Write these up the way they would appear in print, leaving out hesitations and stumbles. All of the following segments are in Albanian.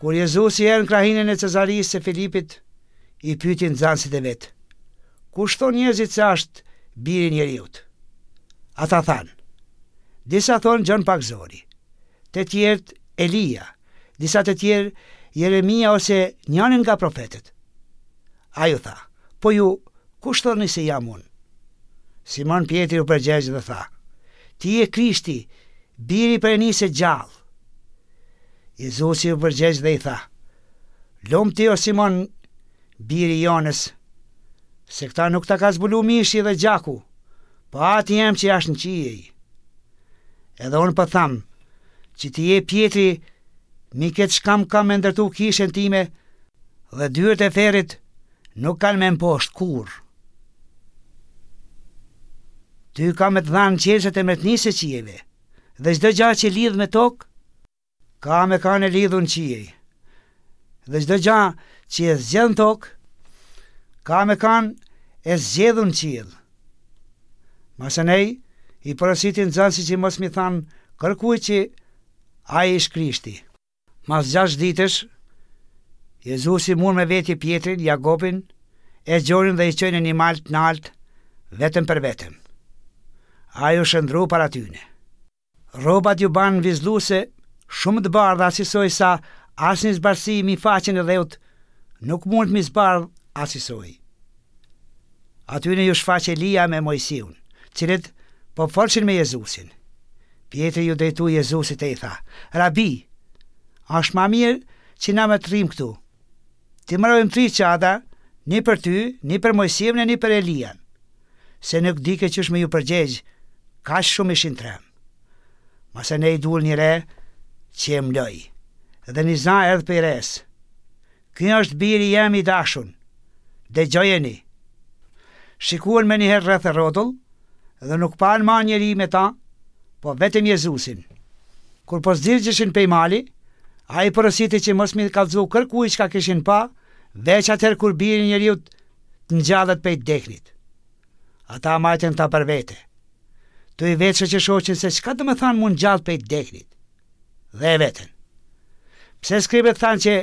Kur Jezusi erdh në krahinën e Cezarisë së Filipit, i pyeti nxënësit e vet, Kush thonë njerëzit se asht Biri i njeriut? Ata thanë, Disa thonë Gjon Pagëzori, të tjerët Elia, disa të tjerë Jeremia ose njani nga profetët. Ai u tha, Po ju, kush thoni se jam unë? Simon Pjetri u përgjegj dhe tha, Ti je Krishti, Biri i Perënisë së gjallë. Jezusi u përgjegj dhe i tha, Lum ti o Simon, biri i Jonës, se këta nuk ta ka zbulu mishi dhe gjaku, po Ati jem që asht në qiej. Edhe unë po tham, që ti je Pjetri, mi këtë shkamb kam me ndërtu kishën time dhe dyert e ferrit nuk kanë me mposht kurrë. Ty kam me të dhanë çelësat e mbretnisë së qiejve, dhe çdo gja që lidh me tokë, ka me kanë e lidhun në qiej, dhe çdo gja që e zgjedh në tokë, ka me kanë e zgjedhun në qiell. Masanej, i porositi nxënësit që mos m'i thanë kërkujt që ai ish Krishti. Mas gjashtë ditësh, Jezusi mur me veti Pjetrin, Jakobin e Gjonin dhe i çoi në një mal të naltë, vetëm për vetëm. Ai u shëndru para tyne. Rrobat ju banë vizluse, shumë të bardha asisoj sa asnjë zbardhësi mi faqen e dheut nuk mund m'i zbardh asisoj. Atyne ju shfaq Elia me Moisiun, cilët po folshin me Jezusin. Pjetri ju drejtu Jezusit e i tha, Rabi, asht ma mirë që na me të rrimë këtu. T'i mrojmë tri çadra, një për ty, një për Moisiun e një për Elian. Se nuk dike qysh me ju përgjegj, kaq shumë ishin tremë. Masanej dul një re që e mloi, dhe një za erdh prej resë. Ky është biri jem i dashun, dëgjojeni! Shikuan menjëherë rreth e rrotull dhe nuk panë ma njeri me ta, po vetëm Jezusin. Kur po zdirgjeshin pej mali, ai i porositi që mos m'i kallxu kërkujt çka kishin pa, veç atëherë kur biri i njeriut të ngjallet pej t'deknit. Ata majtën këta për vete. Tu i vetë shoq e shoqen se çka do me thanë m'u ngjallë pej t'deknit. Dhe e vetën. Pse skribët thanë që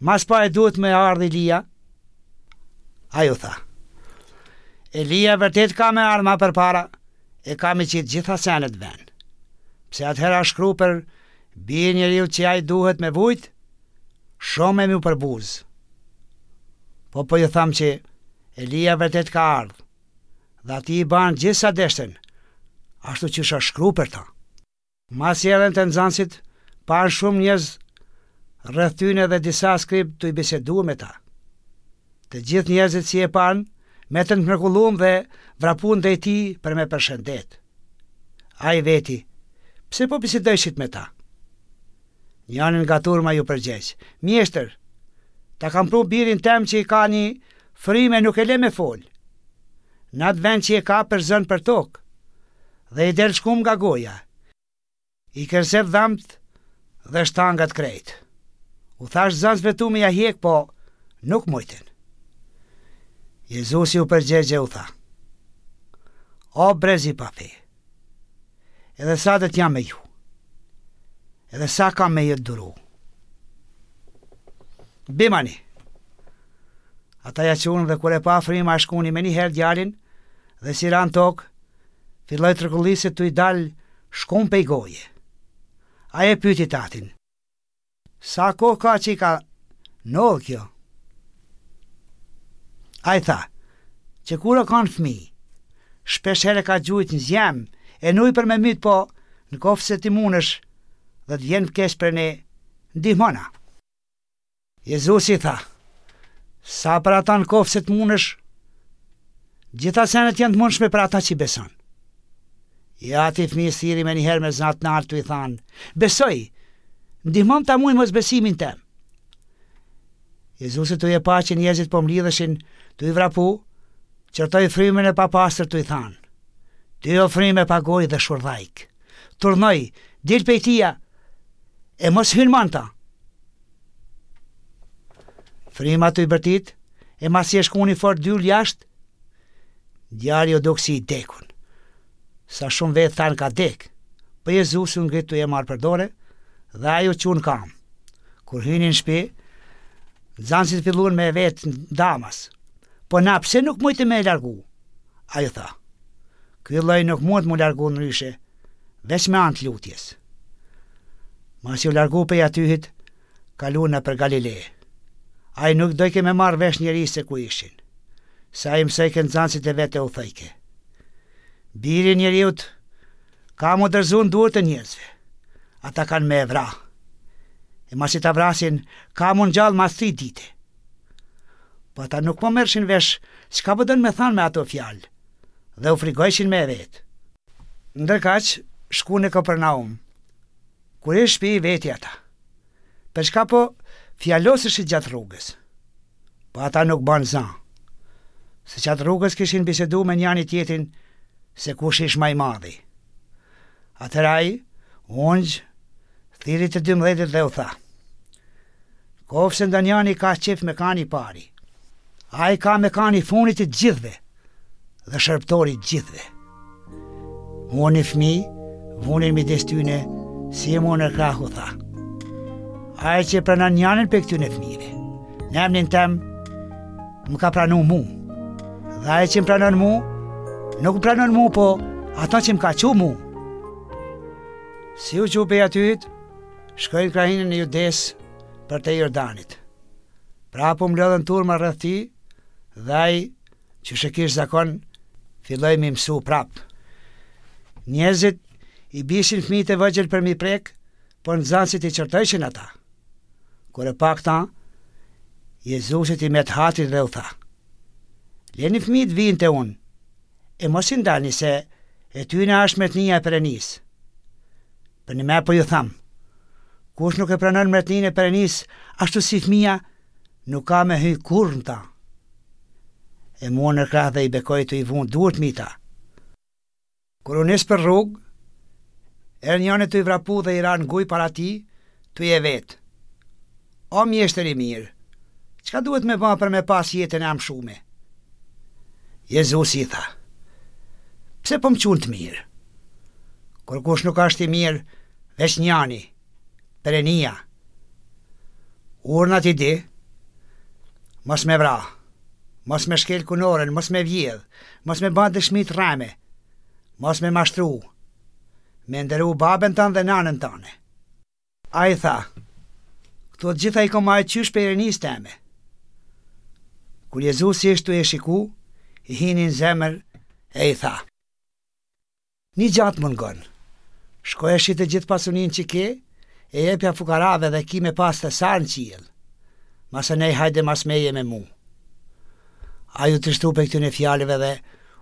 mas pari duhet me ardhë Elia? Ai u tha. Elia vërtet ka me ardhë ma përpara e ka me qitë gjitha senet ven. Pse atëherë a shkru për birin e njeriut që ai duhet me vujt, shumë e m'u përbuz. Po po ju tham që Elia vërtet ka ardhë, dhe atij i banë gjithë sa deshtën, ashtu qysh a shkru për ta. Masi erdhën te nxënësit, panë shumë njerëz rreth tyne dhe disa skribë tuj bisedu me ta. Të gjithë njerëzit si e panë, metën të mrekullum dhe vrapun drejt tij për me përshëndet. Ai veti, pse po bisedojshit me ta? Njani nga turma ju përgjegj, Mjeshtër, ta kam pru birin tem që i ka një frymë e nuk e le me folë. Në atë vend që e ka përzën për tokë, dhe i del shkumë nga goja. I kërcet dhamt dhe shtangat krejt. U thash nxënësve tu me ja hjek, po nuk mujtën. Jezusi u përgjegj e u tha, O brez i pafe, edhe sa do të jam me ju, edhe sa kam me ju duru. Bimani, ata ja çunë dhe kur e pa fryma e shkuni menjëherë djalin, dhe si ra në tokë, Filloi të rrokulliset tuj dalë shkumë pej goje. Ai e pyti t'atin. Sa kohë ka që i ka ndodhë kjo? Ai tha, që kur o kanë fëmi, shpesh herë e ka gjujt në zjem e n'ujë për me mytë po në koftë se ti munësh dhe të vjen keq për ne, ndihmona. Jezusi tha, Sa për ata në koftë se të munësh, gjitha senet janë të mundshme për ata që beson. I ati i fëmijës thirri menjëherë me za të naltë tuj thanë, besoj, ndihmom ta muj mosbesimin tem. Jezusi tuj e pa që njerëzit po mlidheshin, tuj vrapu, qortoi frymën e papastër tuj thanë, ty o frymë e pagojë dhe shurdhajkë, t'urdhnoj, dil pej tija, e mos hyn ma n'ta. Fryma tuj bërtit, e masi e shkuni fort dyl jashtë, djali u duk si i dekun. Sa shumë vetë thanë ka dek, po Jezusi u ngrit tuj e marrë për dore, dhe ai u çu në kamë. Kur hyni në shpi, nxanësit filluan me e vetë ndamas. Po na pse nuk mujtëm me e largu? Ai u tha, ky lloj nuk mundet m'u largu ndryshe, veç me anë të lutjes. Masi u largu pej atyhit, kalu nëpër Galile. Ai nuk dojke me marrë vesh njeri se ku ishin, se ai mësojke nxanësit e vet e u thojke. Biri i njeriut ka m'u dorëzu në duart e njerëzve. Ata kanë me e vra. E masi ta vrasin, ka m'u ngjallë mas tri dite. Po ata nuk po merrshin vesh çka po don me thanë me ato fjalë dhe u frigojshin me e vetë. Ndërkaq, shku në Kapernaum. Kur ish n'shpi i veti ata. Për çka po fjaloseshit gjatë rrugës? Po ata nuk banë za. Se gjatë rrugës kishin bisedu me njani tjetrin se kush ish ma i madhi. Atëherë ai, u ungj, thirri të dymbëdhjetit dhe u tha, Koftë se ndonjani ka qejf me kanë i pari, ai ka me kanë i funit i të gjithëve dhe shërbëtor i të gjithëve. Mur një fëmi, vuni midis tyne, si e mur në krah u tha. Ai që pranon njanin prej këtyne fëmijëve, në emnin tem, më ka pranu mu. Dhe ai që më pranon mu, nuk më pranon mu, po ato që më ka çu mu. Si u çu pej atyhit, shkoi në krahinën e Judesë përtej Jordanit. Prapë u mblodhën turma rreth tij dhe ai, qysh e kish zakon, filloi m'i mësu prapë. Njerëzit i bishin fëmijët e vegjël për m'i prek, por nxënësit i qortojshin ata. Kur e pa këta, Jezusit i met hatri dhe u tha, Leni fëmijët vijnë te unë, e mos i ndalni se e tyne është mretnia e Perënisë. Përnime po ju tham, kush nuk e pranon mretninë e Perënisë ashtu si fëmija, nuk ka me hy kurrë në ta. E mur në krah dhe i bekoi tu i vunë duart mi ta. Kur u nis për rrugë, erdh njani tuj vrapu dhe i ra në gujë para tij, tuj e vetë, O mjeshtër i mirë, çka duhet me ba për me pas jetën e amshume? Jezusi i tha, Pse po më qun të mirë? Kurkush nuk asht i mirë, veç njani, Perenia. Urnat i di, mos me vra, mos me shkel kunorën, mos me vjedh, mos me ba dëshmi të rreme, mos me mashtru, me nderu babën tënd dhe nanën tane. Ai tha, Këto të gjitha i kom majtë qysh prej rinisë teme. Kur Jezusi ish tu e shiku, i hini në zemër e i tha, Një gja të mungon, shko e shite gjithë pasuninë që ke, e jepja fukarave dhe ki me pas thesar në qiell. Masanej hajde mas meje me mu. Ai u trishtu prej këtyne fjalëve dhe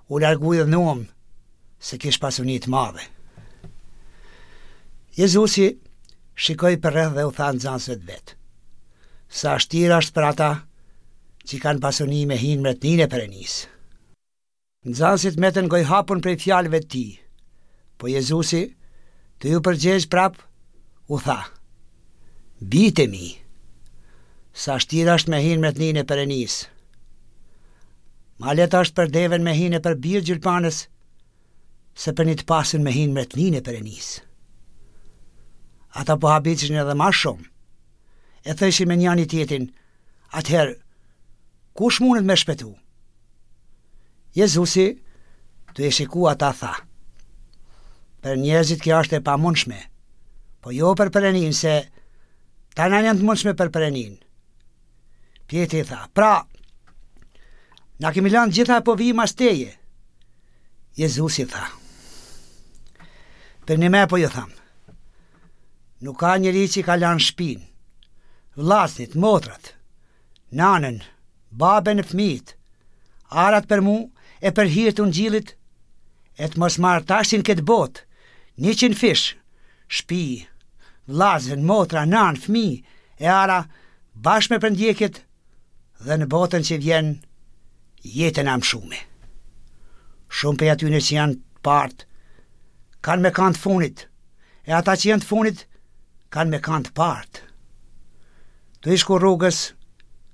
u largu i idhnuem, se kish pasuni të madhe. Jezusi shikoi përreth dhe u tha nxënësve të vet, Sa shtirë është për ata që kanë pasuni me hi n'mretninë e Perënisë. Nxënësit metën gojëhapun prej fjalëve të tij. Po Jezusi, tu iu përgjegj prapë, u tha, Bijtë e mi, sa shtirë është me hi n'mretninë e Perënisë. Ma lehtë është për deven me hi nëpër birë gjylpanës, se për një të pasun me hi n'mretninë e Perënisë. Ata po habitshin edhe ma shumë, e thojshin me njani tjetrin, atëherë, kush mundet me shpëtu? Jezusi, tu i shiku ata, tha, Për njerëzit kjo është e pamundshme, po jo për Perëninë, se tana janë të mundshme për Perëninë. Pjetri tha, pra, na kemi lanë gjitha e po vijmë mas teje. Jezusi tha, përnime po ju tham, nuk ka njeri që ka lanë shpinë, vllaznit, motrat, nanën, babën e fëmijët, arat për mu e për hir të ungjillit, e të mos marrë tashti në këtë botë, njëqindfish, shpi, vllazën, motra, nanë, fëmijë e ara, bashkë me përndjekjet dhe në botën që vjen jetën e amshume. Shumë prej atyne që janë të partë, kanë me kanë të funit, e ata që janë të funit, kanë me kanë të partë. Tu i shku rrugës,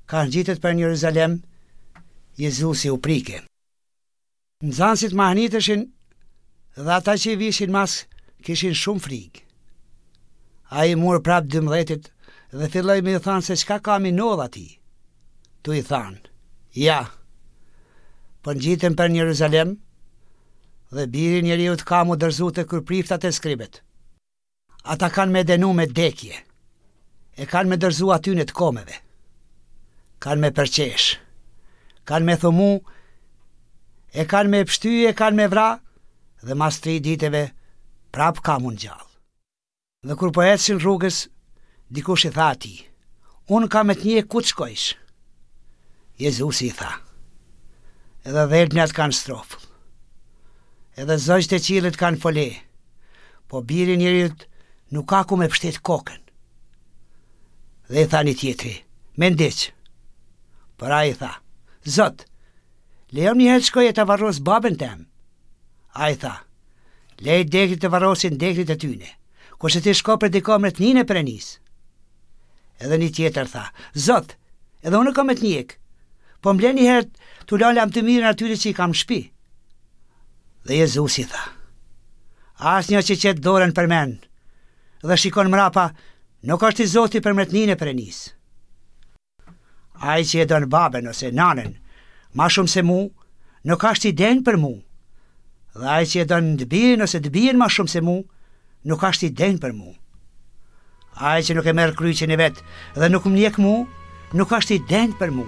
kah ngjitet për në Jeruzalem, Jezusi u prike. Nxënësit mahniteshin dhe ata që i vishin mas kishin shumë frikë. Ai i mur prapë dymbëdhjetit Dhe filloi me ju thanë se çka ka m'i nodhë atij. Tu i thanë, Ja, po ngjitem për në Jeruzalem, dhe biri i njeriut ka m'u dorëzu te kryepriftat e skribët. Ata kanë me dënu me dekje, e kanë me dorëzu atyne të komeve, kanë me përqesh, kanë me thumu, e kanë me pshty e kanë me vra, dhe mas tri ditëve prapë ka m'u ngjallë. Dhe kur po ecin rrugës, dikush i tha atij, Unë kam me të njek ku të shkojsh. Jezusi i tha, Edhe dhelpnat kanë strofull, edhe zogjtë e qiellit kanë fole, po biri i njeriut nuk ka ku me pështet kokën. Dhe i tha një tjetri, Me ndiq. Por ai i tha, Zot, lejom një herë të shkoj e ta varros babën tem. Ai tha, Lej t'dekrit të varrosin t'dekrit e tyne, kurse ti shko prediko mretninë e Perënisë. Edhe një tjetër tha, Zot, edhe unë kam me të njek, po më le një herë t'u la lamtumirën atyre që i kam në shpi. Dhe Jezusi tha, Asnjë që qet dorën përmen dhe shikon mrapa, nuk është i zoti për mretninë e Perënisë. Ai që e don babën ose nanën ma shumë se mu, nuk ashtë i denjë për mu. Dhe ai që e don të birin ose të bijën ma shumë se mu, nuk ashtë i denjë për mu. Ai që nuk e merr kryqin e vet dhe nuk më ndjek mu, nuk ashtë i denjë për mu.